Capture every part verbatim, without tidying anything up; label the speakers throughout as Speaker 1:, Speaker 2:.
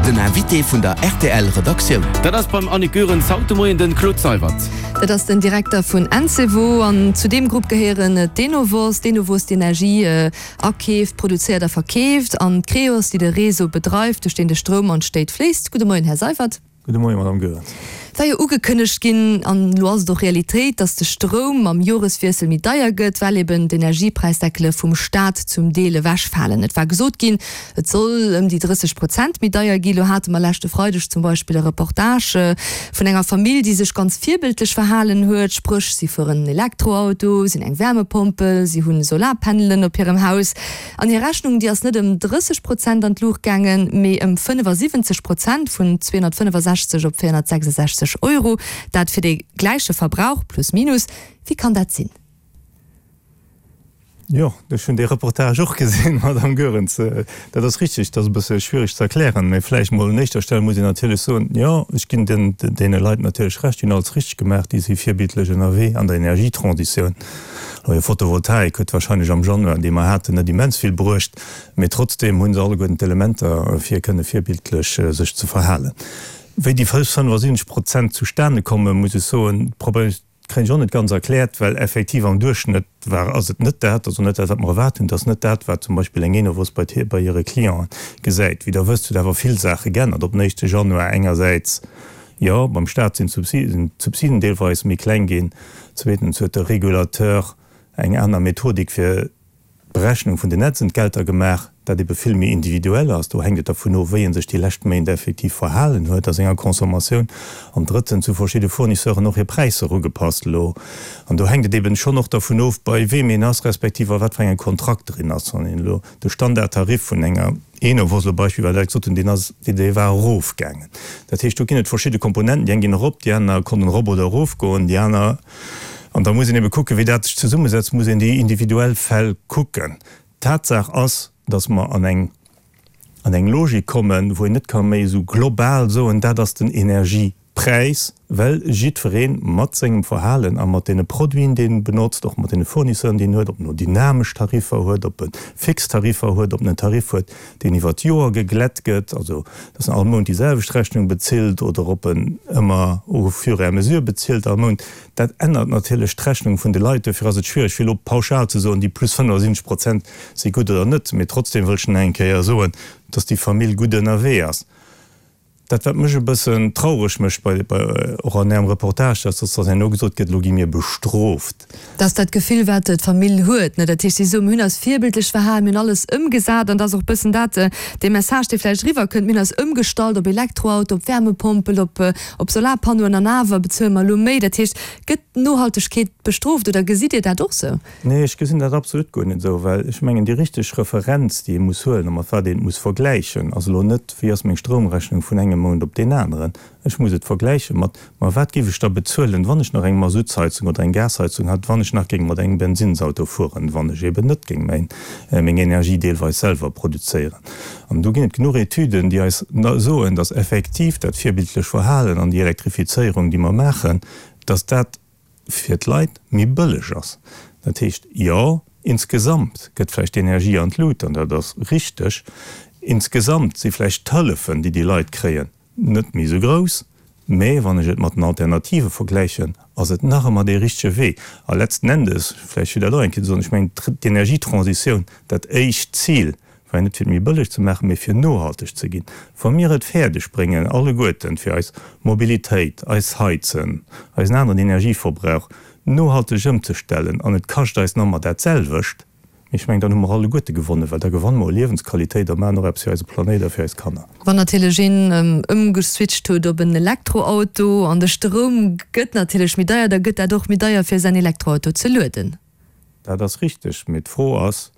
Speaker 1: Den Invité vun der R T L Redaktioun.
Speaker 2: Dat ass beim Annick Goerens haut de Moien den Claude Seywert.
Speaker 3: Dat ass den Direkter vun Encevo an zu deem Grupp gehéieren d'Enovos, d'Enovos déi Energie akeeft, produzéiert a verkeeft, an d'Creos, déi de Réseau bedreift, duerch deen de Stroum an d'Stéit fléisst. Gudde Moien, Här Seywert.
Speaker 4: Gudde Moien, Madame Goerens.
Speaker 3: Et war jo ugekënnegt ginn, an elo ass et och Realitéit, dass de Stroum mam Joreswiessel méi deier gëtt, well eben d'Energiepräisdeckele vum Staat zum Deel ewechfalen. Et war gesot ginn, et soll ëm déi drësseg Prozent méi deier ginn. Elo hate mer leschte Freideg zum Beispill e Reportage vun enger Famill, déi sech ganz virbildlech verhalen huet, spréch si fueren en Elektroauto, si hunn eng Wärmepompel, si hunn Solarpanelen op hirem Haus. An hir Rechnung, déi ass net ëm drësseg Prozent an d'Luucht gaangen, mee ëm fënnefasiwwenzeg Prozent, vun zweehonnertfënnefasechzeg op véierhonnertsechsesechzeg Euro, dat fir dee gläiche Verbrauch, plus minus. Wéi kann dat sinn?
Speaker 4: Jo, ech hunn dee Reportage och gesinn, Madame Goerens. Dat ass richtig, dat ass e bësse schwierig ze erklären, mä vläicht mol un éischter Stell muss een natierlech soen, jo, ech ginn den, deene Leit natierlech Recht, déi hunn alles richtig gemaach, déi si virbildlech ënnerwee an der Energietransitioun. Hir Photovoltaik huet wahrscheinlech am Januar, dee mer haten, net immens vill bruecht, mä trotzdem hu se alleguerten d'Elementer, fir kënne virbildlech sech ze verhalen. Wéi déi fënnefasiwwenzeg Prozent zustane kommen, muss ech soen, kréien ech och net ganz erkläert, well effektiv am Duerchschnëtt war, ass et net dat, also net dat, wat mer erwaart hunn, et ass net dat, wat zum Beispill eng Enovos bei bei hire Clienten gesäit. Wéi Der wësst, huet awer vill Saache geännert op den éischte Januar. Engersäits, jo, beim Staat sinn d'Subsiden deelweis méi kleng ginn, zweetens huet de Régulateur eng aner Methodik fir d'Berechnung vun den Netzentgelter gemaach, dat ebe vill méi individuell ass. Do hänkt et dervun of, wéi ee sech déi lescht Méint effektiv verhalen huet a senger Consommatioun. An drëttens hu verschidde Fournisseuren och hir Präisser ugepasst elo. An do hänkt et eben schonn och dervun of, bei weem een ass, respektiv a wat fir engem Kontrakt drin ass. Wann een elo de Standardtarif vun enger Enovos elo beispillweis dat gesot hunn, deen ass, dee war erofgaangen. Dat heescht, do ginn et verschidde Komponenten, déi eng ginn erop, déi aner konnten erop oder erofgoen, déi aner. An da muss een ebe kucken, wéi dat sech zesummesetzt, muss een déi individuell Fäll kucken. Tatsaach ass, dass mer an eng an eng Logik kommen, wou een net ka méi esou global soen, dat ass den Energiepräis, well jiddweree mat sengem Verhalen a mat deene Produiten, déi en benotzt, och mat deene Fournisseuren, déi en huet, ob en elo dynamesch Tariffer huet, ob e fix Tariffer huet, ob en en Tarif huet, deen iwwer d'Joer geglätt gëtt, also dass en all Mount déi selwecht Rechnung bezilt, oder ob en ëmmer au fur et à mesure bezilt all Mount, dat ännert natierlech d'Rechnung vun de Leit. Dofir ass et schwierig, fir elo pauschal ze soen, déi plus fënnefasiwwenzeg Prozent si gutt oder net. Mee trotzdem wëll ech nach eng Kéier soen, dass déi Famill gutt ënnerwee ass. Dat, wat mech e bëssen traureg mécht bei, bei, och an Ärem Reportage, dass dass herno gesot gëtt, elo gi mir bestrooft.
Speaker 3: Dat ass dat Gefill, wat d'Famill huet, ne? Dat heescht, si soen, mir hunn eis virbildlech verhalen, mir hunn alles ëmgesat. An dat ass och e bëssen dat, dee Message, dee vläicht eriwwerkënnt, mir hunn eis ëmgestallt op Elektroauto, op Wärmepompel, op, op Solarpannoen an awer bezuele mer elo méi. Dat heescht, gëtt d'Nohaltegkeet bestrooft oder gesitt Dir dat och sou?
Speaker 4: Nee, ech gesinn dat absolut guer net esou, well ech mengen, déi richteg Referenz, déi ee muss huelen a mat wat een et muss vergläichen, ass elo net, wéi ass meng Stroumrechnung vun engem Mount op deen aneren. Ech muss et vergläiche mat, ma wat géif ech da bezuelen, wann ech nach eng Masuttsheizung oder eng Gasheizung hätt, wann ech nach géing mat engem Bensinnsauto fueren, wann ech eben net géing mäin, meng Energie deelweis selwer produzéieren. An do ginn et genuch Etüden, déi eis soen, dass effektiv dat virbildlech Verhalen an déi Elektrifizéierung, déi mer maachen, dass dat fir d'Leit méi bëlleg ass. Dat heescht, jo, insgesamt gëtt vläicht d'Energie an d'Lut, an dat ass richteg, insgesamt si vläicht d'Hëllefen, déi déi Leit kréien, net méi esou grouss, mä wann ech et mat den Alternative vergläichen, ass et nach ëmmer dee richtege Wee. A letzten Endes, vläicht fir dat och eng Kéier ze soen, ech mengen, d'Energietransitioun, dat éischt Zil war jo net fir et méi bëlleg ze maachen, mä fir nohalteg ze ginn. Wa mir et fäerdeg bréngen, alleguerten, fir eis Mobilitéit, eis Heizen, eisen aneren Energieverbrauch nohalteg ëmzestellen an et kascht eis nach ëmmer dat selwecht, ech mengen, dann hu mer alleguerte gewonnen, well da gewanne mer u Liewensqualitéit a maachen och eppes fir eise Planéit a fir eis Kanner.
Speaker 3: Wann natierlech een ëmgeswitcht huet op en Elektroauto an de Stroum gëtt natierlech méi deier, da gëtt dat och méi deier fir säin Elektroauto ze lueden.
Speaker 4: Dat ass richteg, mee d'Fro ass,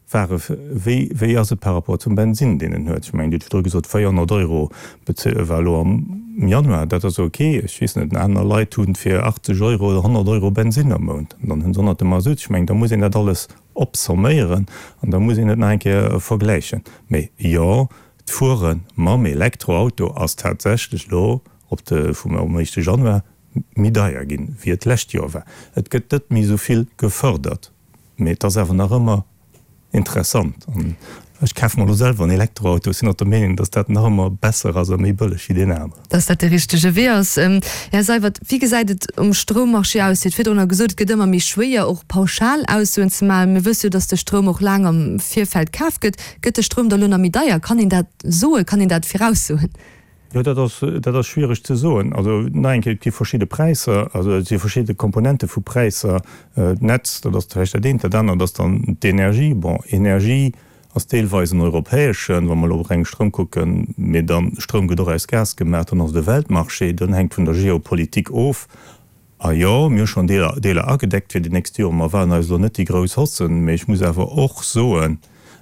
Speaker 4: Ware, wéi, wéi ass et par rapport zum Bensinn, deen en huet? Ech mengen, Dir hutt virdru gesot, véierhonnert Euro war elo am Januar. Dat ass ok. Ech weess net, aner Leit hu fir achtzeg Euro oder honnert Euro Bensinn am Mount. An dann hu se honnert de Masutt. Ech mengen, da muss een dat alles opsomméieren an da muss een et nach eng Kéier vergläichen. Mee jo, d'Fuere mam Elektroauto ass tatsächlech elo op de, vum am éischte Januar méi deier ginn, wéi et d'lescht Joer war. Et gëtt net méi esou vill gefërdert, mee et ass awer nach ëmmer interessant an Ech kafe mer elo selwer en Elektroauto, ech sinn och der Meenung, dass dat nach ëmmer besser ass a méi bëlleg wéi deen aneren.
Speaker 3: Dass dat de richtege Wee ass. Här Seywert, wéi gesäit et um Stroummarché aus? Dir hutt virdrunner gesot, et gëtt ëmmer méi schwéier, och pauschal Aussoen ze maachen. Mir wësse jo, dass de Stroum och laang am Virfeld kaf gëtt. Gëtt de Stroum da elo nach méi deier? Kann een dat soen? Kann een dat viraussoen?
Speaker 4: Jo, dat ass, dat ass schwiereg ze soen. Also nach eng Kéier, et gi verschidde Präisser, also et si verschidde Komponente vu Präisser. D'Netz, dat ass vläicht dat eent, dat anert ass dann d'Energie. Bon, Energie ass deelweis en europäeschen, wa mer elo op reng Stroum kucken, mee dann, Stroum gëtt och aus Gas gemaach, dann ass et e Weltmarché, dann hänkt vun der Geopolitik of. A jo, mir hu schonn Deeler, Deeler agedeckt fir déi nächst Joren. Mer erwaarden eis elo net déi grouss Haussen, mee ech muss awer och soen,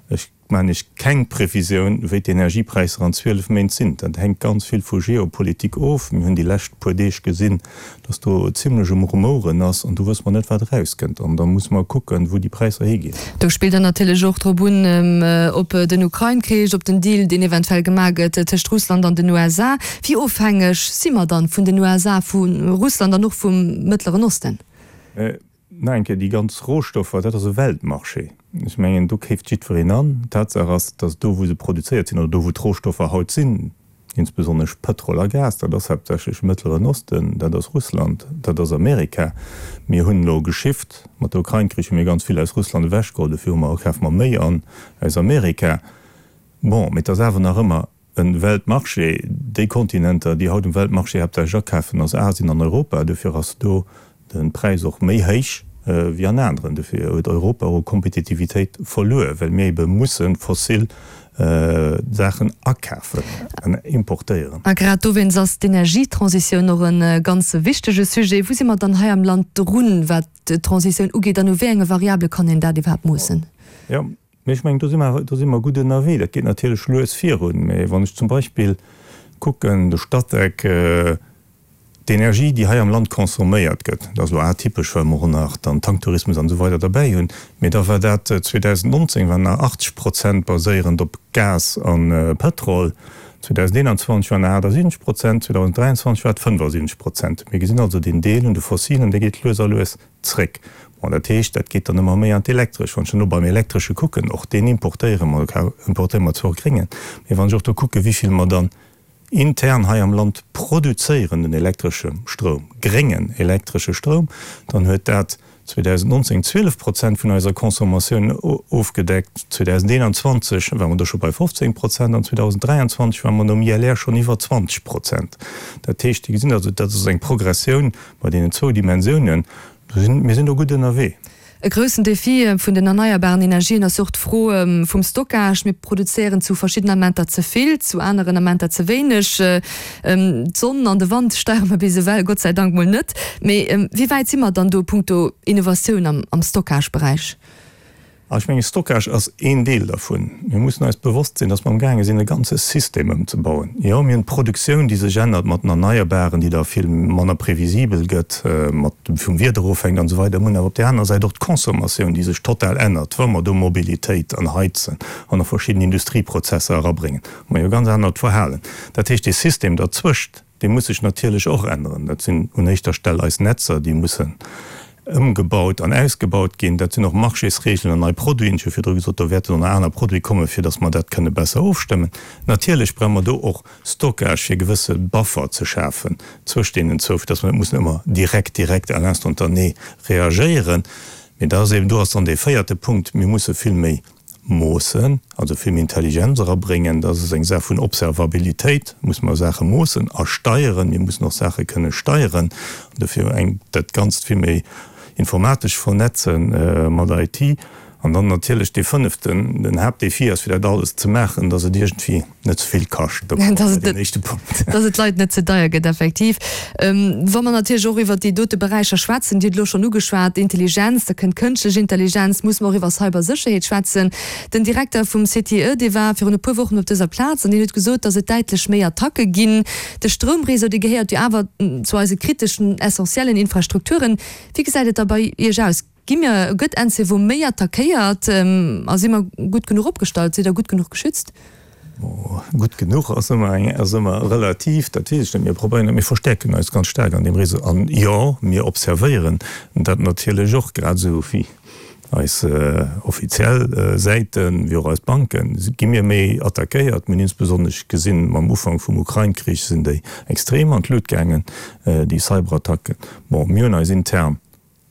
Speaker 4: ech maachen Iech keng Previsioun, wéi d'Energiepräisser an zwielef Méint sinn. Dat hänkt ganz vill vu Geopolitik of. Mir hunn déi lescht puer Deeg gesinn, dass do zimlech um Rumouren ass an do wësse mer net, wat erauskënnt. An da musse mer kucken, wou déi Präisser higinn.
Speaker 3: Do spillt Der natierlech och drop un, op den Ukrain-Krich, op den Deal, deen eventuell gemaach gëtt tëscht Russland an den U S A. Wéi ofhängeg si mer dann vun den U S A, vu Russland an och vum Mëttleren Osten?
Speaker 4: Nach eng Kéier, déi ganz Rohstoffer, dat ass e Weltmarché. Ech mengen, do keeft jiddwereen an. Tatsaach ass, dass do, wou se produzéiert sinn oder do, wou d'Rohstoffer haut sinn, insbesonnesch Pëtrol a Gas, dat ass haaptsächlech Mëttleren Osten, dat ass Russland, dat ass Amerika. Mir hunn elo geshift, mat der Ukrain-Krich hu mir ganz vill aus Russland ewechgeholl, dofir hu mer, kafe mer méi an aus Amerika. Bon, mee et ass awer nach ëmmer e Weltmarché. Déi Kontinenter, déi haut um Weltmarché haaptsächlech akafen, ass Asien an Europa. Dofir ass do de Präis och méi héich wéi an aneren. Dofir huet Europa och u Kompetitivitéit verluer, well mir ebe musse fossil Saachen akafen an importéieren.
Speaker 3: A grad dowéinst ass d'Energietransitioun och e ganz wichtege Sujet. Wou si mer dann hei am Land drun, wat d'Transitioun ugeet, an u wéi enge Variabele kann een dat iwwerhaapt moossen?
Speaker 4: Jo, mee ech mengen, do si mer, do si mer gutt ënnerwee. Dat geet natierlech lues virun. Mee wann ech zum Beispill kucken, de Statec, D'Energie, déi hei am Land consomméiert gëtt, dat ass elo atypesch, well mer och nach dann Tanktourismus an esou weider derbäi hunn, mee da war dat zweedausendnonzéng waren nach achtzeg Prozent baséierend op Gas a Pëtrol, zweedausendeenanzwanzeg waren nach achtasiwwenzeg Prozent, zweedausendräianzwanzeg war et fënnfasiwwenzeg Prozent. Mir gesinn also deen Deel un de Fossilen, dee geet lues a lues zréck. Bon, dat heescht, dat geet dann ëmmer méi an d'Elektresch. Wann ech dann elo beim Elektresche kucken, och deen importéiere mer, importéiere mer zwar och gréngen, mee wann ech och do kucke wéi vill mer dann intern hei am Land produzéieren den elektresche Stroum, gréngen elektresche Stroum, dann huet dat zweedausendnonzéng zwielef Prozent vun eiser Consommatioun ofgedeckt, zweedausendeenanzwanzeg ware mer do scho bei fofzéng Prozent an zweedausendräianzwanzeg ware mer nom I L R schonn iwwer zwanzeg Prozent. Dat heescht, Dir gesinn also, dat ass eng Progressioun bei deenen zwou Dimensiounen. Mir sinn do gutt ënnerwee.
Speaker 3: E groussen Defi vun den erneierbaren Energien ass och d'Fro vum Stockage. Mir produzéieren zu verschiddenen Amenter ze vill, zu aneren Amenter ze wéineg. D'Sonn an de Wand steiere mer bis ewell Gott sei Dank mol net. Mee wéi wäit si mer dann do punkto Innovatioun am Stockageberäich?
Speaker 4: Ech menge Stockage ass een Deel dervun. Mir mussen eis bewosst sinn, datt mer amgaange sinn, e ganze System ëmzebauen. Jo, mir hunn d'Produktioun, déi sech ännert mat den Erneierbaren, déi da vill manner previsibel gëtt, mat vum Wieder ofhänkt an esou weider. Mir hunn awer op där anerer Säit och d'Consommatioun, déi sech total ännert, wa mer do Mobilitéit an Heizen an och verschidden Industrieprozesser erabréngen. Hu mer jo e ganz anert Verhalen. Dat heescht, dee System derzwëscht, dee muss sech natierlech och änneren. Dat sinn un éischter Stell eis Netzer, déi mussen ëmgebaut an ausgebaut ginn. Dat sinn och Marchésregeln an nei Produiten. Ech hu virdru gesot, do wäerten och nach aner Produite kommen, fir datt mer dat kënne besser ofstëmmen. Natierlech brauche mer do och Stockage, fir gewësse Buffer ze schafen zwëscht deenen zwou, fir datt mer net mussen ëmmer direkt, direkt à l'instantané reagéieren. Mee da ass eben, do ass dann dee véierte Punkt, mir musse vill méi moossen, also vill méi Intelligenz erabréngen. Dat ass eng Saach vun Observabilitéit, musse mer Saache moossen a steieren. Mir mussen och Saache kënne steieren, an dofir eng dat Ganzt vill méi informatesch vernetzen mat I T. An dann natierlech dee fënneften, den Haaptdefi ass, fir dat alles ze maachen, dass et iergendwéi net ze vill kascht. Da komme mer bei deen éischte Punkt.
Speaker 3: Dass et d'Leit net ze deier gëtt, effektiv. Wa mer natierlech och iwwert déi dote Beräicher schwätzen, Dir hutt elo schonn ugeschwat, Intelligenz, da kënnt kënschtlech Intelligenz, musse mer och iwwer Cybersécherheet schwätzen. Den Direkter vum C T E, dee war virun e puer Wochen op dëser Plaz an deen huet gesot, dass et däitlech méi Attacke ginn. De Stroumreseau, dee gehéiert jo awer zu eise kriteschen, essentiellen Infrastrukturen. Wéi gesäit et da bei Iech aus? Gi mir, gëtt Encevo méi attackéiert a si mer gutt genuch opgestallt? Sidd Der gutt genuch geschützt?
Speaker 4: Gutt genuch ass ëmmer eng, ass ëmmer relativ, dat weess ech net. Mir probéieren, mir verstäerken eis ganz staark an deem Réseau. An jo, mir observéieren dat natierlech och, grad esou wéi Eis offiziell Säiten, wéi och eis Banken, gi mir méi attackéiert. Mir hunn insbesonnesch gesinn, mam Ufank vum Ukrain-Krich sinn déi extrem an d'Lut gaangen, déi Cyberattacken. Bon, mir hunn eis intern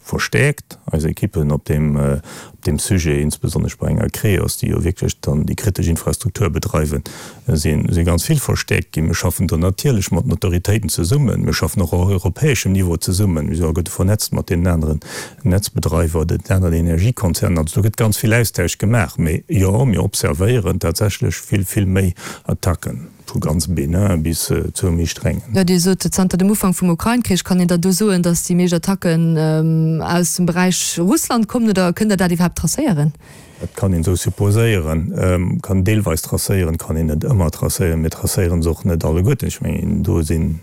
Speaker 4: verstäerkt, eis Ekippen op deem, op deem Sujet, insbesonnesch bei enger Creos, déi jo wierklech dann déi kritesch Infrastruktur bedreiwen, si si ganz vill verstäerkt ginn. Mir schaffen do natierlech mat den Autoritéiten zesummen. Mir schaffen och op europäeschem Niveau zesummen. Mir si alleguerte vernetzt mat deenen aneren Netzbedreiwer oder den aneren Energiekonzernen. Also do gëtt ganz vill Austausch gemaach. Mee jo, mir observéieren tatsächlech vill, vill méi Attacken, vu ganz bénin bis zu méi strengen.
Speaker 3: Jo, Dir sot, zanter dem Ufank vum Ukrain-Krich. Kann een da do soen, datt déi meescht Attacken aus dem Beräich Russland kommen oder kënnt Der dat iwwerhaapt tracéieren?
Speaker 4: Dat kann een esou supposéieren, kann deelweis tracéieren, kann een net ëmmer tracéieren. Mir tracéiere se och net alleguerten. Ech mengen, do sinn,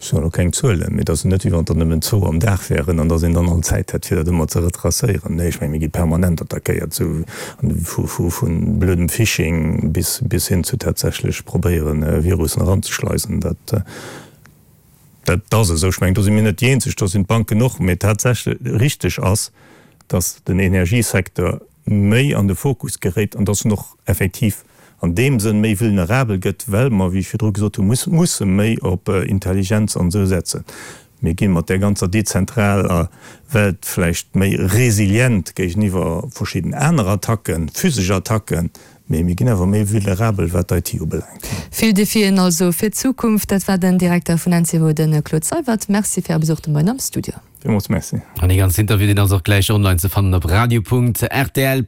Speaker 4: ech hunn elo keng Zuelen, mee et ass jo net, wéi wann der nëmmen zwou am Dag wären an datt een dann all Zäit hätt, fir dat ëmmer ze retracéieren. Nee, ech mengen, mir gi permanent attackéiert, esou vu vu blödem Phishing bis bis hin zu tatsächlech probéieren, Virussen eranzeschleisen. Dat. Dat ass esou. Ech mengen, do si mir net déi Eenzeg, do sinn d'Banken och. Mee tatsächlech richteg ass, datt den Energiesecteur méi an de Fokus geréit an datt en och effektiv an deem Sënn méi vulnerabel gëtt, well mer, wéi ech virdru gesot hunn, musse méi op Intelligenz an esou setzen. Mir gi mat där ganzer dezentraler Welt vläicht méi resilient géigeniwwer verschidden aner Attacken, physesch Attacken, mee mir ginn awer méi vulnerabel, wat d'IT ubelaangt.
Speaker 3: Vill Defien also fir d'Zukunft. Dat war den Direkter vun Encevo, de Claude Seywert. Merci fir Är Besuch de Moien am Studio.
Speaker 4: Villmools Merci.
Speaker 2: An dee ganzen Interview, deen ass och gläich online ze fannen op radio.rtl.lu.